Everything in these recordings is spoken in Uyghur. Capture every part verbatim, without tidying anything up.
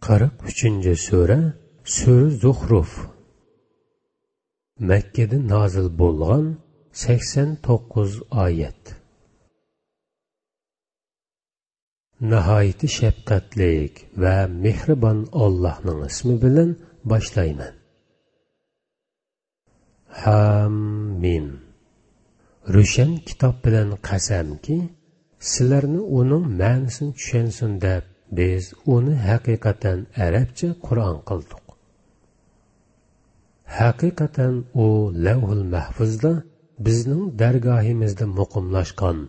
قىرىق ئۈچىنچى سۈرە، سۈرە زۇخرۇف. مەككىدە نازىل بولغان، سەكسەن توققۇز ئايەت. ناھايىتى شەپقەتلىك ۋە مېھرىبان ئاللاھنىڭ ئىسمى بىلەن باشلايمەن. ھامىم. روشەن كىتاب بىلەن قەسەمكى، سىلەرنى ئۇنىڭ مەنىسىنى چۈشەنسۇن دەپ، بىز ئۇنى ھەقىقەتەن ئەرەبچە قۇرئان قىلدۇق. ھەقىقەتەن ئۇ لەۋھۇل مەھفۇزدا بىزنىڭ دەرگاھىمىزدا مۇقىملاشقان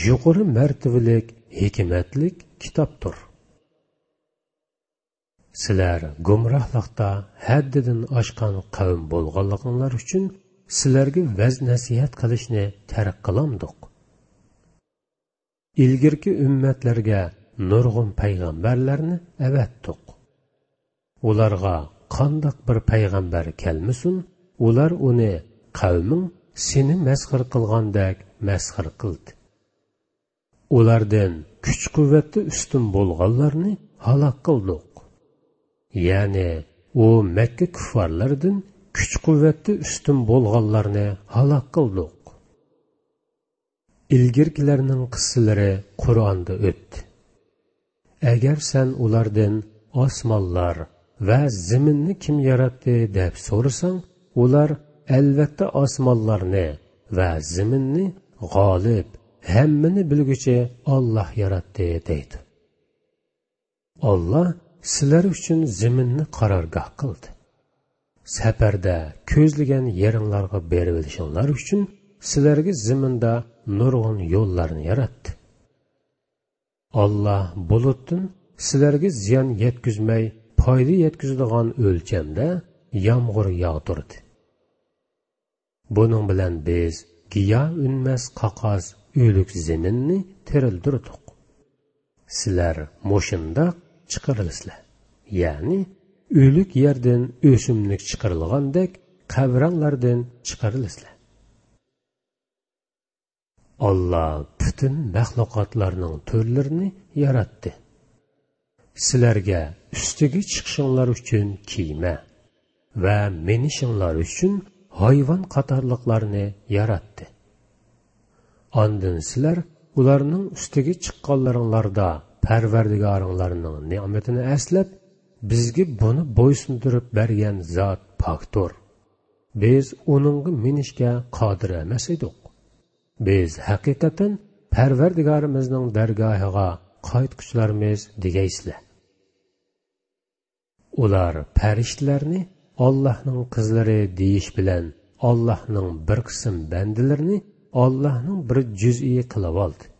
يۇقىرى مەرتىۋىلىك، ھېكمەتلىك كىتابتۇر. سىلەر گۇمراھلىقتا ھەددىدىن ئاشقان قەۋم بولغانلىقىڭلار ئۈچۈن سىلەرگە ۋەز-نەسىھەت قىلىشنى تەرك قىلامدۇق؟ ئىلگىرىكى ئۈممەتلەرگە نۇرغۇن پەيغەمبەرلەرنى ئەۋەتتۇق. ئۇلارغا قانداق بىر پەيغەمبەر كەلمىسۇن، ئۇلار ئۇنى قەۋمىڭ سېنى مەسخىرە قىلغاندەك مەسخىرە قىلدى. ئۇلاردىن كۈچ-قۇۋۋەتتە ئۈستۈن بولغانلارنى ھالاك قىلدۇق. يەنى ئۇ مەككە كۇففارلىرىدىن كۈچ-قۇۋۋەتتە ئۈستۈن بولغانلارنى ھالاك قىلدۇق. ئىلگىرىكىلەرنىڭ قىسسىلىرى قۇرئاندا ئۆتتى. ئەگەر سەن ئۇلاردىن «ئاسمانلار ۋە زېمىننى كىم ياراتتى؟» دەپ سورىساڭ، ئۇلار «ئەلۋەتتە ئاسمانلارنى ۋە زېمىننى غالىب، ھەممىنى بىلگۈچى ئاللاھ ياراتتى» دەيدۇ. ئاللاھ سىلەر ئۈچۈن زېمىننى قارارگاھ قىلدى. سەپەردە كۆزلىگەن يېرىڭلارغا بېرىۋېلىشىڭلار ئۈچۈن سىلەرگە زېمىندا نۇرغۇن يوللارنى ياراتتى. ئاللاھ بۇلۇتتىن سىلەرگە زىيان يەتكۈزمەي، پايدا يەتكۈزىدىغان ئۆلچەمدە يامغۇر ياغدۇردى. بۇنىڭ بىلەن بىز گىياھ ئۈنمەس قاقاس ئۆلۈك زېمىننى تىرىلدۈردۇق. سىلەر مۇشۇنداق چىقىرىلىسىلەر، يەنى ئۆلۈك يەردىن ئۆسۈملۈك چىقىرىلغاندەك قەبرەڭلاردىن چىقىرىلىسىلەر. ئاللاھ پۈتۈن مەخلۇقاتلارنىڭ تۈرلىرىنى ياراتتى. سىلەرگە ئۈستىگە چىقىشىڭلار ئۈچۈن كېمە ۋە مىنىشىڭلار ئۈچۈن ھايۋان قاتارلىقلارنى ياراتتى. ئاندىن سىلەر ئۇلارنىڭ ئۈستىگە چىققانلىرىڭلاردا پەرۋەردىگارىڭلارنىڭ نېمىتىنى ئەسلەپ، «بىزگە بۇنى بويسۇندۇرۇپ بەرگەن زات پاكتۇر. بىز ئۇنىڭغا مىنىشكە قادىر ئەمەس ئىدۇق. بىز ھەقىقەتەن پەرۋەردىگارىمىزنىڭ دەرگاھىغا قايتقۇچىلارمىز» دېگەيسىلەر. ئۇلار پەرىشتىلەرنى ئاللاھنىڭ قىزلىرى دېيىش بىلەن ئاللاھنىڭ بىر قىسىم بەندىلىرىنى ئاللاھنىڭ بىر جۈزئى قىلىۋالدى.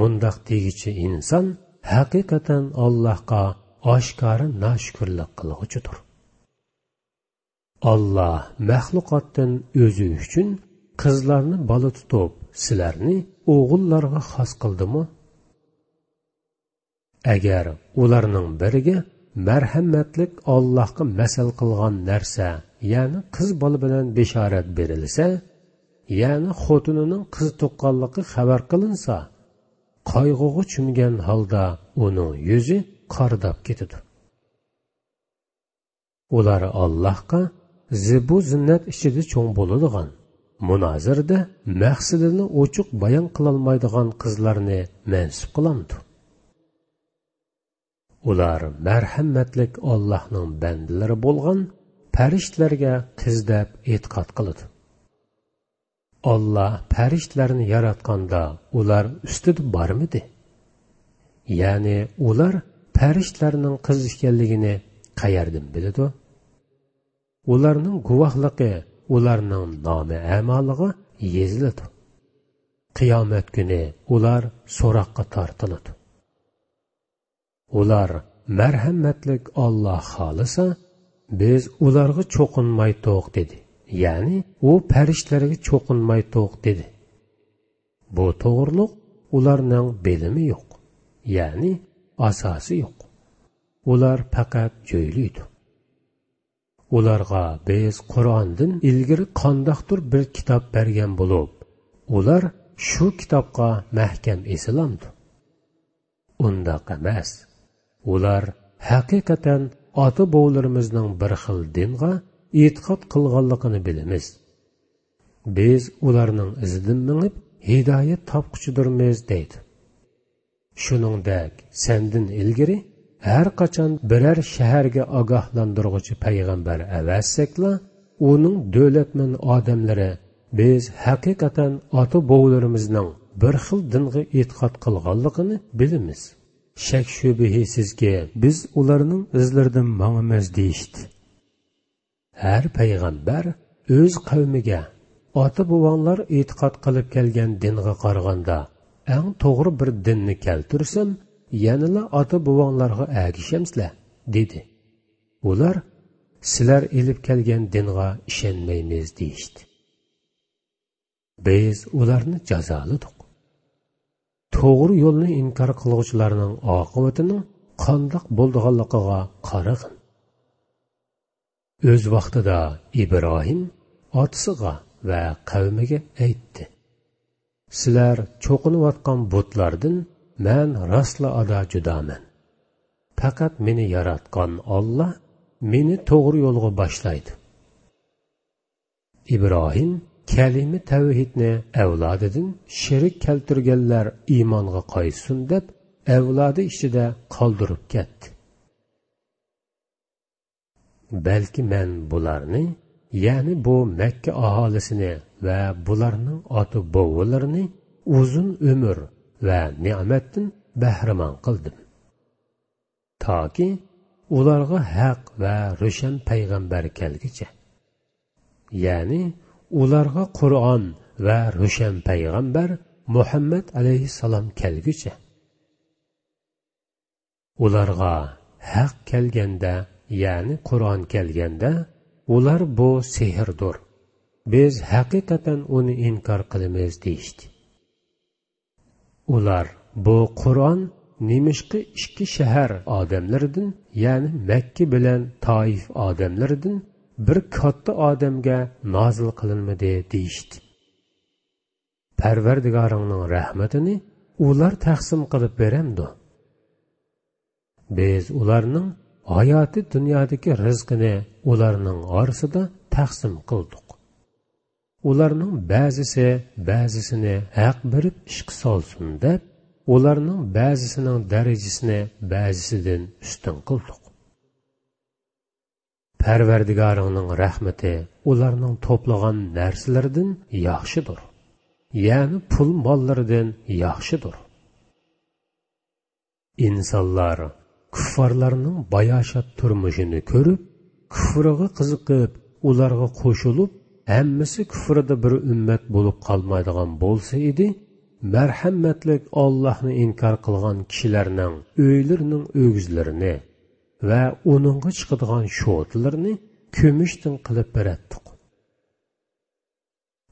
مۇنداق دېگۈچى ئىنسان ھەقىقەتەن ئاللاھقا ئاشكارا ناشۈكۈرلۈك قىلغۇچىدۇر. ئاللاھ مەخلۇقاتتىن ئۆزى ئۈچۈن قىزلارنى بالا تۇتۇپ، سىلەرنى ئوغۇللارغا خاس قىلدىمۇ؟ ئەگەر ئۇلارنىڭ بىرىگە مەرھەمەتلىك ئاللاھقا مەسەل قىلغان نەرسە، يەنى قىز بالا بىلەن بېشارەت بېرىلسە، يەنى خوتۇنىنىڭ قىز تۇغقانلىقى خەۋەر قىلىنسا، قايغۇغا چۆمگەن ھالدا ئۇنىڭ يۈزى قارىداپ كېتىدۇ. ئۇلار ئاللاھقا زىبۇ-زىننەت ئىچىدە چوڭ بولىدىغان، مۇنازىرىدە مەقسىتىنى ئوچۇق بايان قىلالمايدىغان قىزلارنى مەنسۇپ قىلامدۇ؟ ئۇلار مەرھەمەتلىك ئاللاھنىڭ بەندىلىرى بولغان پەرىشتىلەرگە قىز دەپ ئېتىقاد قىلىدۇ. ئاللاھ پەرىشتىلەرنى ياراتقاندا ئۇلار ئۈستىدە بارمىدى؟ يەنى ئۇلار پەرىشتىلەرنىڭ قىز ئىكەنلىكىنى قەيەردىن بىلىدۇ؟ ئۇلارنىڭ گۇۋاھلىقى ئۇلارنىڭ نامە-ئەمالىغا يېزىلىدۇ. قىيامەت كۈنى ئۇلار سوراققا تارتىلىدۇ. ئۇلار مەرھەمەتلىك ئاللاھ خالىسا، بىز ئۇلارغا چوقۇنمايتتۇق دېدى. يەنى ئۇ پەرىشتىلەرگە چوقۇنمايتتۇق دېدى. بۇ توغرۇلۇق ئۇلارنىڭ بىلىمى يوق، يەنى ئاساسى يوق. ئۇلار پەقەت جۆيلۈيدۇ. ئۇلارغا بىز قۇرئاندىن ئىلگىرى قانداقتۇر بىر كىتاب بەرگەن بولۇپ، ئۇلار شۇ كىتابقا مەھكەم ئېسىلامدۇ؟ ئۇنداق ئەمەس. ئۇلار ھەقىقەتەن ئاتا-بوۋىلىرىمىزنىڭ بىر خىل دىنغا ئېتىقاد قىلغانلىقىنى بىلىمىز. بىز ئۇلارنىڭ ئىزىدىن مېڭىپ، ھىدايەت تاپقۇچىدۇرمىز دەيدۇ. شۇنىڭدەك، سەندىن ئىلگىرى ھەر قاچان بىرەر شەھەرگە ئاگاھلاندۇرغۇچى پەيغەمبەر ئەۋەتسەكلا، ئۇنىڭ دۆلەتمەن ئادەملىرى: «بىز ھەقىقەتەن ئاتا-بوۋىلىرىمىزنىڭ بىر خىل دىنغا ئېتىقاد قىلغانلىقىنى بىلىمىز. شەك-شۈبھىسىزكى، بىز ئۇلارنىڭ ئىزلىرىدىن ماڭىمىز» دېيىشتى. ھەر پەيغەمبەر ئۆز قەۋمىگە: «ئاتا-بوۋاڭلار ئېتىقاد قىلىپ كەلگەن دىنغا قارىغاندا، ئەڭ توغرا بىر دىننى كەلتۈرسەم، يەنىلا ئاتا-بوۋاڭلارغا ئەگىشەمسىلەر؟» دېدى. ئۇلار: «سىلەر ئېلىپ كەلگەن دىنغا ئىشەنمەيمىز» دېيىشتى. بىز ئۇلارنى جازالىدۇق. توغرا يولنى ئىنكار قىلغۇچىلارنىڭ ئاقىۋىتىنىڭ قانداق بولىدىغانلىقىغا قارىغىن. ئۆز ۋاقتىدا ئىبراھىم ئاتىسىغا ۋە قەۋمىگە ئېيتتى: «سىلەر چوقۇنۇۋاتقان بۇتلاردىن مەن راستلا ئادا جۇدامەن. پەقەت مېنى ياراتقان ئاللا مېنى توغرا يولغا باشلايدۇ.» ئىبراھىم كەلىمە تەۋھىدنى ئەۋلادىدىن شېرىك كەلتۈرگەنلەر ئىمانغا قايتسۇن دەپ، ئەۋلادى ئىچىدە قالدۇرۇپ كەتتى. بەلكى مەن بۇلارنى، يەنى بۇ مەككە ئاھالىسىنى ۋە بۇلارنىڭ ئاتا-بوۋىلىرىنى ئۇزۇن ئۆمۈر ۋە نېمەتتىن بەھرىمەن قىلدىم. تاكى ئۇلارغا ھەق ۋە روشەن پەيغەمبەر كەلگۈچە. يەنى ئۇلارغا قۇرئان ۋە روشەن پەيغەمبەر مۇھەممەد ئەلەيھىسسالام كەلگۈچە. ئۇلارغا ھەق كەلگەندە، يەنى قۇرئان كەلگەندە، ئۇلار: «بۇ سېھىردۇر. بىز ھەقىقەتەن ئۇنى ئىنكار قىلىمىز» دېيىشتى. ئۇلار: «بۇ قۇرئان نېمىشقا ئىككى شەھەر ئادەملىرىدىن، يەنى مەككە بىلەن تائىف ئادەملىرىدىن بىر كاتتا ئادەمگە نازىل قىلىنمىدى؟» دېيىشتى. پەرۋەردىگارىڭنىڭ رەھمىتىنى ئۇلار تەقسىم قىلىپ بېرەمدۇ؟ بىز ئۇلارنىڭ ھاياتى دۇنيادىكى رىزقىنى ئۇلارنىڭ ئارىسىدا تەقسىم قىلدۇق. ئۇلارنىڭ بەزىسى بەزىسىنى ھەق بېرىپ ئىشقا سالسۇن دەپ، ئۇلارنىڭ بەزىسىنىڭ دەرىجىسىنى بەزىسىدىن ئۈستۈن قىلدۇق. پەرۋەردىگارىڭنىڭ رەھمىتى ئۇلارنىڭ توپلىغان نەرسىلىرىدىن ياخشىدۇر. يەنى پۇل ماللىرىدىن ياخشىدۇر. ئىنسانلار كۇففارلارنىڭ باياشات تۇرمۇشىنى كۆرۈپ، كۇفرىغا قىزىقىپ، ئۇلارغا قوشۇلۇپ، ھەممىسى كۇفرىدا بىر ئۈممەت بولۇپ قالمايدىغان بولسا ئىدى، مەرھەمەتلىك ئاللاھنى ئىنكار قىلغان كىشىلەرنىڭ ئۆيلىرىنىڭ ئۆگزىلىرىنى ۋە ئۇنىڭغا چىقىدىغان شوتىلىرىنى كۈمۈشتىن قىلىپ بېرەتتۇق.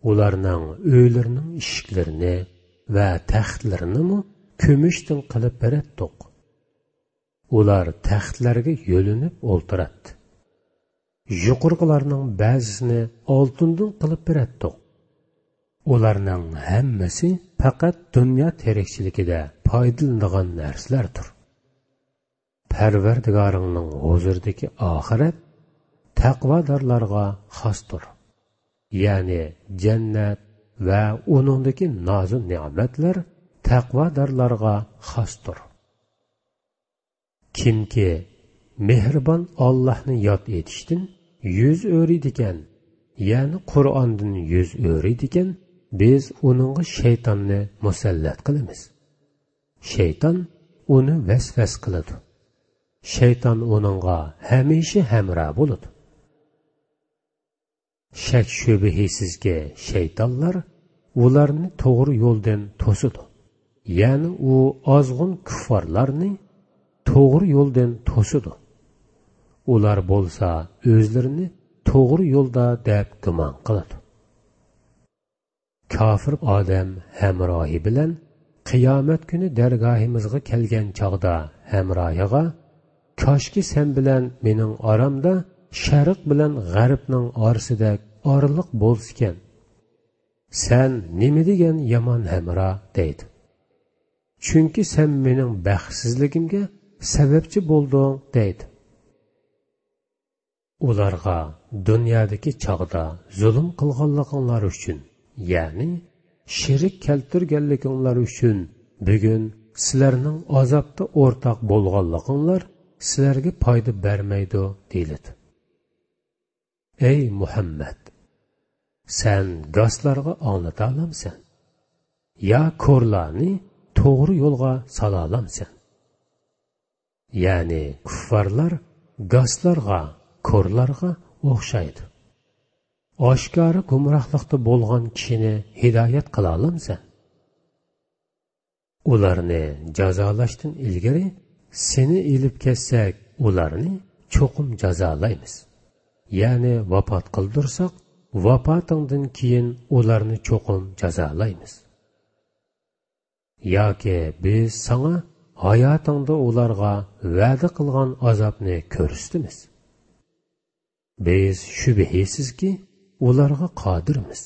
ئۇلارنىڭ ئۆيلىرىنىڭ ئىشىكلىرىنى ۋە تەختلىرىنىمۇ كۈمۈشتىن قىلىپ بېرەتتۇق. ئۇلار تەختلەرگە يۆلىنىپ ئولتۇراتتى. يۇقىرىقىلارنىڭ بەزىسىنى ئالتۇندىن قىلىپ بېرەتتۇق. ئۇلارنىڭ ھەممىسى پەقەت دۇنيا تىرىكچىلىكىدە پايدىلىنىدىغان نەرسىلەردۇر. پەرۋەردىگارىڭنىڭ ھۇزۇرىدىكى ئاخىرەت تەقۋادارلارغا خاستۇر. يەنى جەننەت ۋە ئۇنىڭدىكى نازۇ نېمەتلەر تەقۋادارلارغا خاستۇر. كىمكى مېھرىبان ئاللاھنى ياد ئېتىشتىن يۈز ئۆرۈيدىكەن، يەنى قۇرئاندىن يۈز ئۆرۈيدىكەن، بىز ئۇنىڭغا شەيتاننى مۇسەللەت قىلىمىز. شەيتان ئۇنى ۋەسۋەسە قىلىدۇ. شەيتان ئۇنىڭغا ھەمىشە ھەمراھ بولىدۇ. شەك-شۈبھىسىزكى، شەيتانلار ئۇلارنى توغرا يولدىن توسىدۇ. يەنى ئۇ ئازغۇن كۇففارلارنى توغرا يولدىن توسىدۇ. ئۇلار بولسا ئۆزلىرىنى توغرا يولدا دەپ گۇمان قىلىدۇ. كاپىر ئادەم ھەمراھى بىلەن قىيامەت كۈنى دەرگاھىمىزغا كەلگەن چاغدا ھەمراھىغا: «كاشكى سەن بىلەن مېنىڭ ئارامدا شەرق بىلەن غەربنىڭ ئارىسىدەك ئارىلىق بولسىكەن. سەن نېمە دېگەن يامان ھەمراھ!» دەيدۇ. چۈنكى سەن مېنىڭ بەختسىزلىكىمگە سەۋەبچى بولدۇڭ دەيدۇ. ئۇلارغا دۇنيادىكى چاغدا زۇلۇم قىلغانلىقىڭلار ئۈچۈن، يەنى شېرىك كەلتۈرگەنلىكىڭلار ئۈچۈن بۈگۈن سىلەرنىڭ ئازابتا ئورتاق بولغانلىقىڭلار سىلەرگە پايدا بەرمەيدۇ دېيىلىدۇ. ئەي مۇھەممەد! سەن گاسلارغا ئاڭلىتالامسەن؟ يا كورلارنى توغرا يولغا سالالامسەن؟ يەنى كۇففارلار گاسلارغا، كورلارغا ئوخشايدۇ. ئاشكارا گۇمراھلىقتا بولغان كىشىنى ھىدايەت قىلالامسەن؟ ئۇلارنى جازالاشتىن ئىلگىرى سېنى ئېلىپ كەتسەك، ئۇلارنى چوقۇم جازالايمىز. يەنى ۋاپات قىلدۇرساق، ۋاپاتىڭدىن كېيىن ئۇلارنى چوقۇم جازالايمىز. ياكى بىز ساڭا ھاياتىڭدا ئۇلارغا ۋەدە قىلغان ئازابنى كۆرسىتىمىز. بىز شۈبھىسىزكى ئۇلارغا قادىرمىز،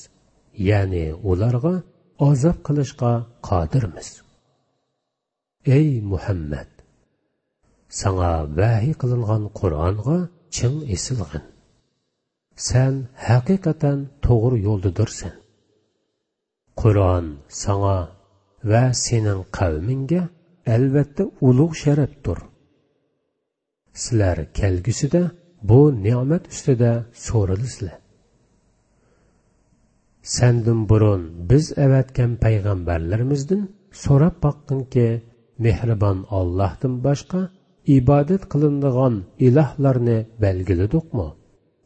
يەنى ئۇلارغا ئازاب قىلىشقا قادىرمىز. ئەي مۇھەممەد! ساڭا ۋەھىي قىلىنغان قۇرئانغا چىڭ ئېسىلغىن. سەن ھەقىقەتەن توغرا يولدىدۇرسەن. قۇرئان ساڭا ۋە سېنىڭ قەۋمىڭگە ئەلۋەتتە ئۇلۇغ شەرەپتۇر. سىلەر كەلگۈسىدە بۇ نېمەت ئۈستىدە سورىلىسىلەر. سەندىن بۇرۇن بىز ئەۋەتكەن پەيغەمبەرلىرىمىزدىن سوراپ باققىنكى، مېھرىبان ئاللاھتىن باشقا ئىبادەت قىلىنىدىغان ئىلاھلارنى بەلگىلىدۇقمۇ؟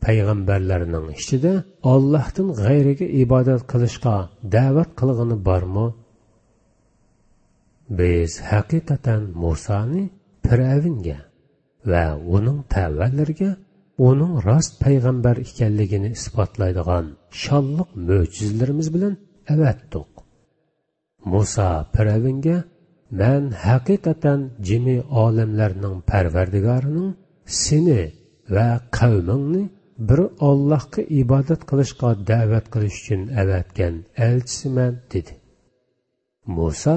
پەيغەمبەرلەرنىڭ ئىچىدە ئاللاھتىن غەيرىگە ئىبادەت قىلىشقا دەۋەت قىلغىنى بارمۇ؟ بىز ھەقىقەتەن مۇسانى پىرئەۋنگە ۋە ئۇنىڭ تەۋەلىرىگە ئۇنىڭ راست پەيغەمبەر ئىكەنلىكىنى ئىسپاتلايدىغان شانلىق مۆجىزىلىرىمىز بىلەن ئەۋەتتۇق. مۇسا پىرئەۋنگە، مەن ھەقىقەتەن جىمى ئالەملەرنىڭ پەرۋەردىگارىنىڭ سېنى ۋە قەۋمىڭنى بىر ئاللاھقا ئىبادەت قىلىشقا دەۋەت قىلىش ئۈچۈن ئەۋەتكەن ئەلچىسىمەن، دېدى. مۇسا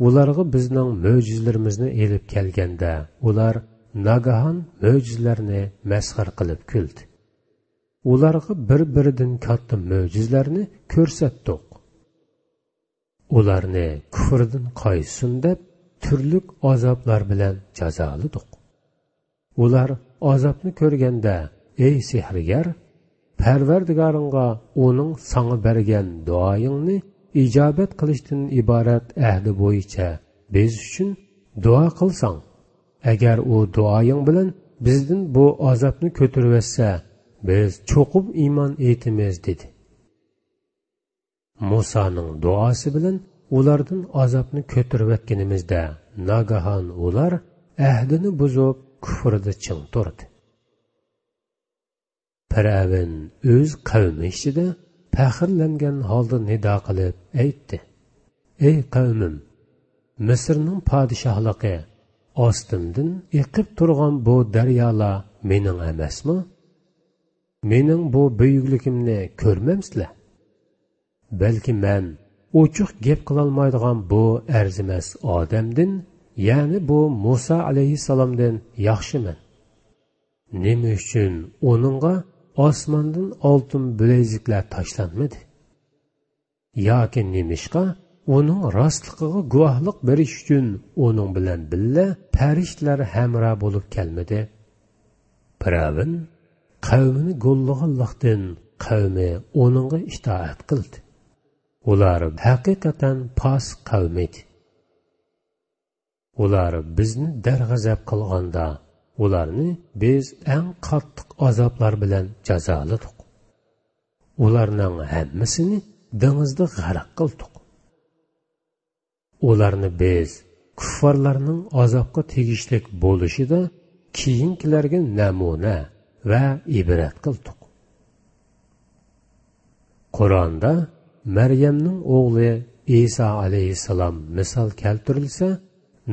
ئۇلارغا بىزنىڭ مۆجىزىلىرىمىزنى ئېلىپ كەلگەندە، ئۇلار ناگاھان مۆجىزىلەرنى مەسخىرە قىلىپ كۈلدى. ئۇلارغا بىر-بىرىدىن كاتتا مۆجىزىلەرنى كۆرسەتتۇق. ئۇلارنى كۇفرىدىن قايسۇن دەپ، تۈرلۈك ئازابلار بىلەن جازالىدۇق. ئۇلار ئازابنى كۆرگەندە، ئەي سېھىرگەر، پەرۋەردىگارىڭغا ئۇنىڭ ساڭا بەرگەن دۇئايىڭنى ئىجابەت قىلىشتىن ئىبارەت ئەھدى بويىچە بىز ئۈچۈن دۇئا قىلساڭ، ئەگەر ئۇ دۇئايىڭ بىلەن بىزدىن بۇ ئازابنى كۆتۈرۈۋەتسە، بىز چوقۇم ئىمان ئېيتىمىز، دېدى. مۇسانىڭ دۇئاسى بىلەن ئۇلاردىن ئازابنى كۆتۈرۈۋەتكىنىمىزدە، ناگاھان ئۇلار ئەھدىنى بۇزۇپ، كۇفرىدا چىڭ تۇردى. پىرئەۋن ئۆز قەۋمى ئىچىدە پەخىرلەنگەن ھالدا نىدا قىلىپ ئېيتتى: ئەي قەۋمىم، مىسىرنىڭ پادىشاھلىقى، ئاستىمدىن ئېقىپ تۇرغان بۇ دەريالار مېنىڭ ئەمەسمۇ؟ مېنىڭ بۇ بۈيۈكلۈكۈمنى كۆرمەمسىلەر؟ بەلكى مەن ئوچۇق گەپ قىلالمايدىغان بۇ ئەرزىمەس ئادەمدىن، يەنى بۇ مۇسا ئەلەيھىسسالامدىن ياخشىمەن. نېمە ئۈچۈن ئۇنىڭغا ئاسماندىن ئالتۇن بىلەيزۈكلەر تاشلانمىدى؟ ياكى نېمىشقا ئۇنىڭ راستلىقىغا گۇۋاھلىق بېرىش ئۈچۈن ئۇنىڭ بىلەن بىللە پەرىشتىلەر ھەمراھ بولۇپ كەلمىدى؟ پىرئەۋن قەۋمىنى گوللىغانلىقتىن، قەۋمى ئۇنىڭغا ئىتائەت قىلدى. ئۇلار ھەقىقەتەن پاسىق قەۋم ئىدى. ئۇلار بىزنى دەرغەزەپ قىلغاندا، ئۇلارنى بىز ئەڭ قاتتىق ئازابلار بىلەن جازالىدۇق. ئۇلارنىڭ ھەممىسىنى دېڭىزدا غەرق قىلدۇق. ئۇلارنى بىز كۇففارلارنىڭ ئازابقا تېگىشلىك بولۇشىدا كېيىنكىلەرگە نەمۇنە ۋە ئىبرەت قىلدۇق. قۇرئاندا مەريەمنىڭ ئوغلى ئىسا ئەلەيھىسسالام مىسال كەلتۈرۈلسە،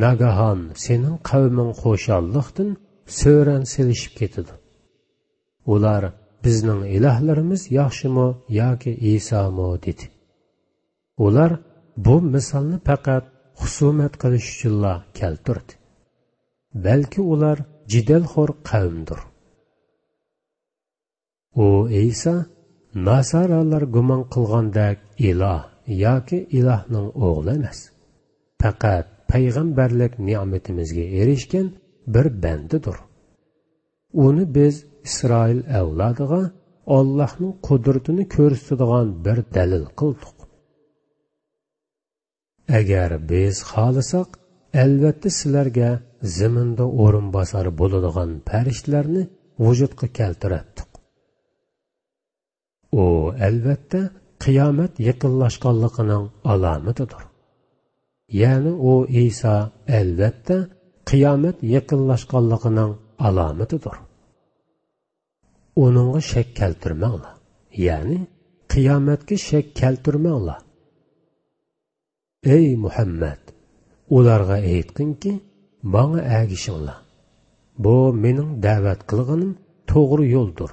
ناگاھان سېنىڭ قەۋمىڭ خۇشاللىقتىن سۆرەن سېلىشىپ كېتىدۇ. ئۇلار، بىزنىڭ ئىلاھلىرىمىز ياخشىمۇ ياكى ئىسامۇ؟ دېدى. ئۇلار بۇ مىسالنى پەقەت خۇسۇمەت قىلىش ئۈچۈنلا كەلتۈردى. بەلكى ئۇلار جېدەلخور قەۋمدۇر. ئۇ ئەيسا ناسارالار گۇمان قىلغاندەك ئىلاھ ياكى ئىلاھنىڭ ئوغلى ئەمەس. پەقەت پەيغەمبەرلىك نېمىتىمىزگە ئېرىشكەن بىر بەندىدۇر. ئۇنى بىز ئىسرائىل ئەۋلادىغا ئاللاھنىڭ قۇدرىتىنى كۆرسىتىدىغان بىر دەلىل قىلدۇق. ئەگەر بىز خالىساق، ئەلۋەتتە سىلەرگە زېمىندا ئورۇنباسار بولىدىغان پەرىشتىلەرنى ۋۇجۇدقا كەلتۈرەتتۇق. ئۇ ئەلۋەتتە قىيامەت يېقىنلاشقانلىقىنىڭ ئالامىتىدۇر. يەنى ئۇ ئەيسا ئەلۋەتتە قىيامەت يېقىنلاشقانلىقىنىڭ ئالامىتىدۇر. ئۇنىڭغا شەك كەلتۈرمەڭلار، يەنى قىيامەتكە شەك كەلتۈرمەڭلار. ئەي مۇھەممەد، ئۇلارغا ئېيتقىنكى، ماڭا ئەگىشىڭلار. بۇ مېنىڭ دەۋەت قىلغىنىم توغرا يولدۇر.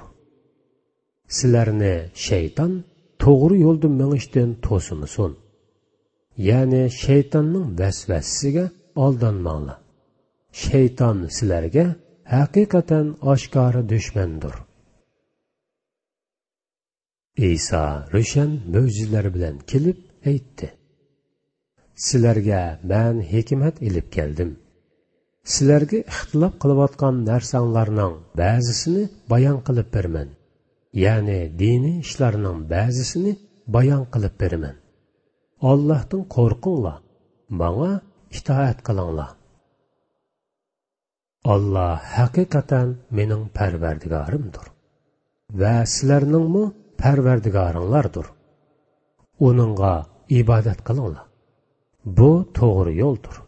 سىلەرنى شەيتان توغرا يولدا مېڭىشتىن توسمىسۇن. يەنى شەيتاننىڭ ۋەسۋەسىسىگە ئالدانماڭلار. شەيتان سىلەرگە ھەقىقەتەن ئاشكارا دۈشمەندۇر. ئەيسا روشەن مۆجىزىلەر بىلەن كېلىپ ئېيتتى: سىلەرگە مەن ھېكمەت ئېلىپ كەلدىم. سىلەرگە ئىختىلاپ قىلىۋاتقان نەرسەڭلارنىڭ بەزىسىنى بايان قىلىپ بېرىمەن. يەنى دىنىي ئىشلارنىڭ بەزىسىنى بايان قىلىپ بېرىمەن. ئاللاھتىن قورقۇڭلار، ماڭا ئىتائەت قىلىڭلار. ئاللا ھەقىقەتەن مېنىڭ پەرۋەردىگارىمدۇر ۋە سىلەرنىڭمۇ پەرۋەردىگارىڭلاردۇر. ئۇنىڭغا ئىبادەت قىلىڭلار. بۇ توغرا يولدۇر.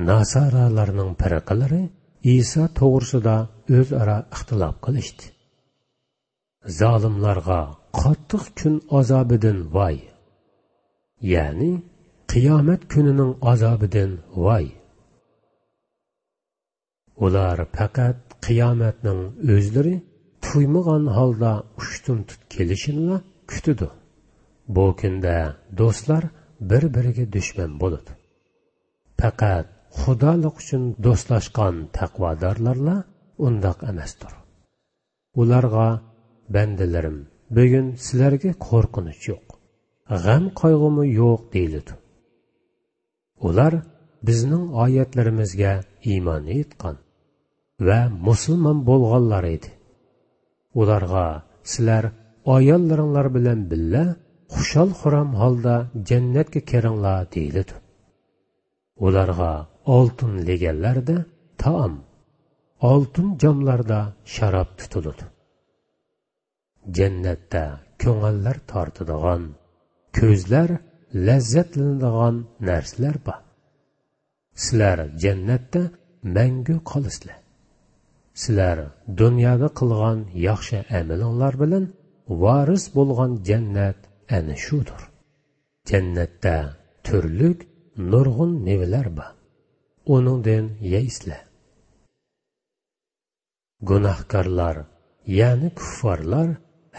ناسارالارنىڭ پىرقىلىرى ئىسا توغرىسىدا ئۆزئارا ئىختىلاپ قىلىشتى. زالىملارغا قاتتىق كۈن ئازابىدىن ۋاي! يەنى قىيامەت كۈنىنىڭ ئازابىدىن ۋاي! ئۇلار پەقەت قىيامەتنىڭ ئۆزلىرى تۇيمىغان ھالدا ئۇشتۇمتۇت كېلىشىنىلا كۈتىدۇ. بۇ كۈندە دوستلار بىر-بىرىگە دۈشمەن بولىدۇ. پەقەت خۇدالىق ئۈچۈن دوستلاشقان تەقۋادارلارلا ئۇنداق ئەمەستۇر. ئۇلارغا: بەندىلىرىم، بۈگۈن سىلەرگە قورقۇنچ يوق، غەم-قايغۇمۇ يوق دېيىلىدۇ. ئۇلار بىزنىڭ ئايەتلىرىمىزگە ئىمان ئېيتقان ۋە مۇسۇلمان بولغانلار ئىدى. ئۇلارغا: سىلەر ئاياللىرىڭلار بىلەن بىللە خۇشال-خۇرام ھالدا جەننەتكە كىرىڭلار دېيىلىدۇ. ئۇلارغا ئالتۇن لېگەنلەردە تائام، ئالتۇن جاملاردا شاراب تۇتۇلىدۇ. جەننەتتە كۆڭۈللەر تارتىدىغان، كۆزلەر لەززەتلىنىدىغان نەرسىلەر بار. سىلەر جەننەتتە مەڭگۈ قالىسىلەر. سىلەر دۇنيادا قىلغان ياخشى ئەمىلىڭلار بىلەن ۋارىس بولغان جەننەت ئەنە شۇدۇر. جەننەتتە تۈرلۈك نۇرغۇن مېۋىلەر بار. ئۇنىڭدىن يەيسىلەر. گۇناھكارلار، يەنى كۇففارلار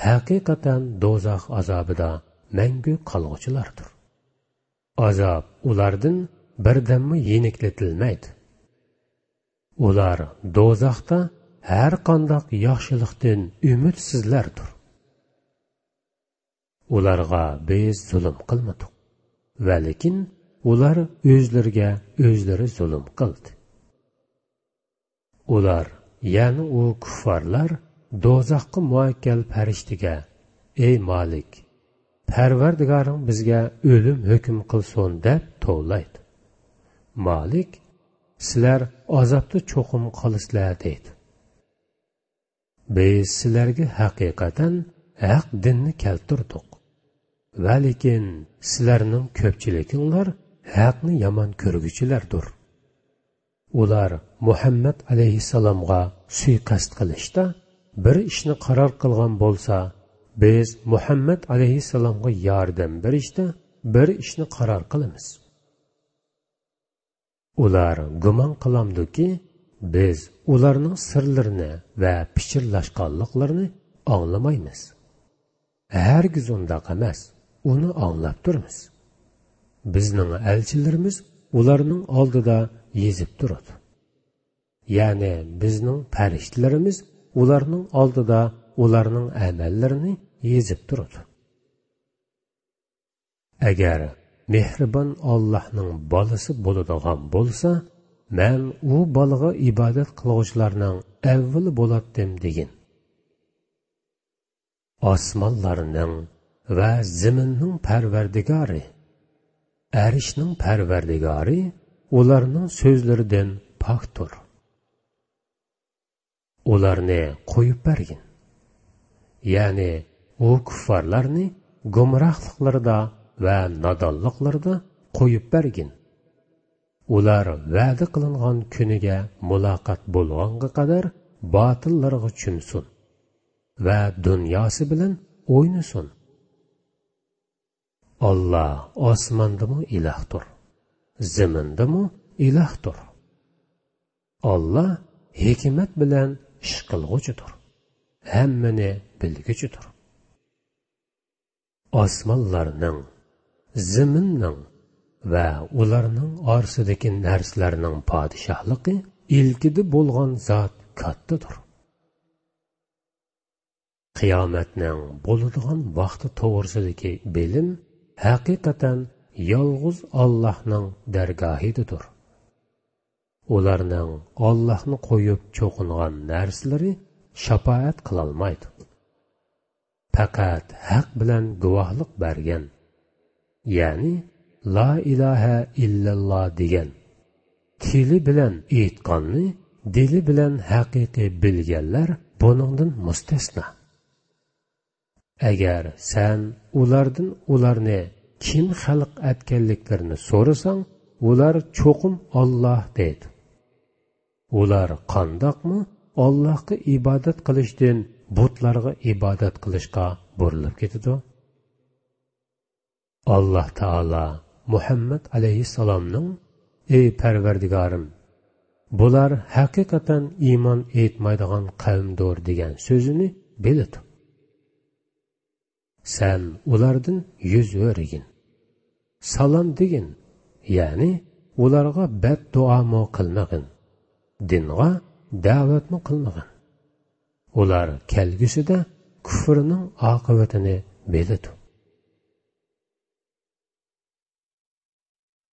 ھەقىقەتەن دوزاخ ئازابىدا مەڭگۈ قالغۇچىلاردۇر. ئازاب ئۇلاردىن بىردەممۇ يېنىكلىتىلمەيدۇ. ئۇلار دوزاختا ھەرقانداق ياخشىلىقتىن ئۈمىدسىزلەردۇر. ئۇلارغا بىز زۇلۇم قىلمىدۇق، ۋەلىكىن ئۇلار ئۆزلىرىگە ئۆزلىرى زۇلۇم قىلدى. ئۇلار، يەنى ئۇ كۇففارلار دوزاخقا مۇئەككەل پەرىشتىگە: ئەي مالىك، پەرۋەردىگارىڭ بىزگە ئۆلۈم ھۆكۈم قىلسۇن دەپ توۋلايدۇ. مالىك: سىلەر ئازابتا چوقۇم قالىسىلەر دەيدۇ. بىز سىلەرگە ھەقىقەتەن ھەق دىننى كەلتۈردۇق. ۋەلىكىن سىلەرنىڭ كۆپچىلىكىڭلار ھەقنى يامان كۆرگۈچىلەردۇر. ئۇلار مۇھەممەد ئەلەيھىسسالامغا سۇيىقەست قىلىشتا بىر ئىشنى قارار قىلغان بولسا، بىز مۇھەممەد ئەلەيھىسسالامغا ياردەم بېرىشتە بىر ئىشنى قارار قىلىمىز. ئۇلار گۇمان قىلامدۇكى، بىز ئۇلارنىڭ سىرلىرىنى ۋە پىچىرلاشقانلىقلىرىنى ئاڭلىمايمىز؟ ھەرگىز ئۇنداق ئەمەس، ئۇنى ئاڭلاپ تۇرىمىز. بىزنىڭ ئەلچىلىرىمىز ئۇلارنىڭ ئالدىدا يېزىپ تۇرىدۇ. يەنى بىزنىڭ پەرىشتىلىرىمىز ئۇلارنىڭ ئالدىدا ئۇلارنىڭ ئەمەللىرىنى يېزىپ تۇرىدۇ. ئەگەر مېھرىبان ئاللاھنىڭ بالىسى بولىدىغان بولسا، مەن ئۇ بالىغا ئىبادەت قىلغۇچىلارنىڭ ئەۋۋىلى بولاتتىم دېگىن. ئاسمانلارنىڭ ۋە زېمىننىڭ پەرۋەردىگارى، ئەرشنىڭ پەرۋەردىگارى ئۇلارنىڭ سۆزلىرىدىن پاكتۇر. ئۇلارنى قويۇپ بەرگىن. يەنى ئۇ كۇففارلارنى گۇمراھلىقلىرىدا ۋە نادانلىقلىرىدا قويۇپ بەرگىن. ئۇلار ۋەدە قىلىنغان كۈنىگە مۇلاقات بولغانغا قەدەر باتىللارغا چۆمسۇن ۋە دۇنياسى بىلەن ئوينىسۇن. ئاللا ئاسماندىمۇ ئىلاھتۇر، زېمىندىمۇ ئىلاھتۇر. ئاللا ھېكمەت بىلەن ئىش قىلغۇچىدۇر، ھەممىنى بىلگۈچىدۇر. ئاسمانلارنىڭ، زېمىننىڭ ۋە ئۇلارنىڭ ئارىسىدىكى نەرسىلەرنىڭ پادىشاھلىقى ئىلكىدە بولغان زات كاتتىدۇر. قىيامەتنىڭ بولىدىغان ۋاقتى توغرىسىدىكى بىلىم ھەقىقەتەن يالغۇز ئاللاھنىڭ دەرگاھىدىدۇر. ئۇلارنىڭ ئاللاھنى قويۇپ چوقۇنغان نەرسىلىرى شاپائەت قىلالمايدۇ. پەقەت ھەق بىلەن گۇۋاھلىق بەرگەن، يەنى لا ئىلاھە ئىللەللا دېگەن، تىلى بىلەن ئېيتقاننى دىلى بىلەن ھەقىقىي بىلگەنلەر بۇنىڭدىن مۇستەسنا. ئەگەر سەن ئۇلاردىن ئۇلارنى كىم خەلق ئەتكەنلىكلىرىنى سورىساڭ، ئۇلار چوقۇم ئاللا دەيدۇ. ئۇلار قانداقمۇ ئاللاھقا ئىبادەت قىلىشتىن بۇتلارغا ئىبادەت قىلىشقا بۇرۇلۇپ كېتىدۇ؟ ئاللا تائالا مۇھەممەد ئەلەيھىسسالامنىڭ «ئەي پەرۋەردىگارىم، بۇلار ھەقىقەتەن ئىمان ئېيتمايدىغان قەۋمدۇر» دېگەن سۆزىنى بىلىدۇ. سەن ئۇلاردىن يۈز ئۆرۈگىن، سالام دېگىن، يەنى ئۇلارغا بەددۇئامۇ قىلمىغىن، دىنغا دەۋەتمۇ قىلمىغىن. ئۇلار كەلگۈسىدە كۇفرىنىڭ ئاقىۋىتىنى بىلىدۇ.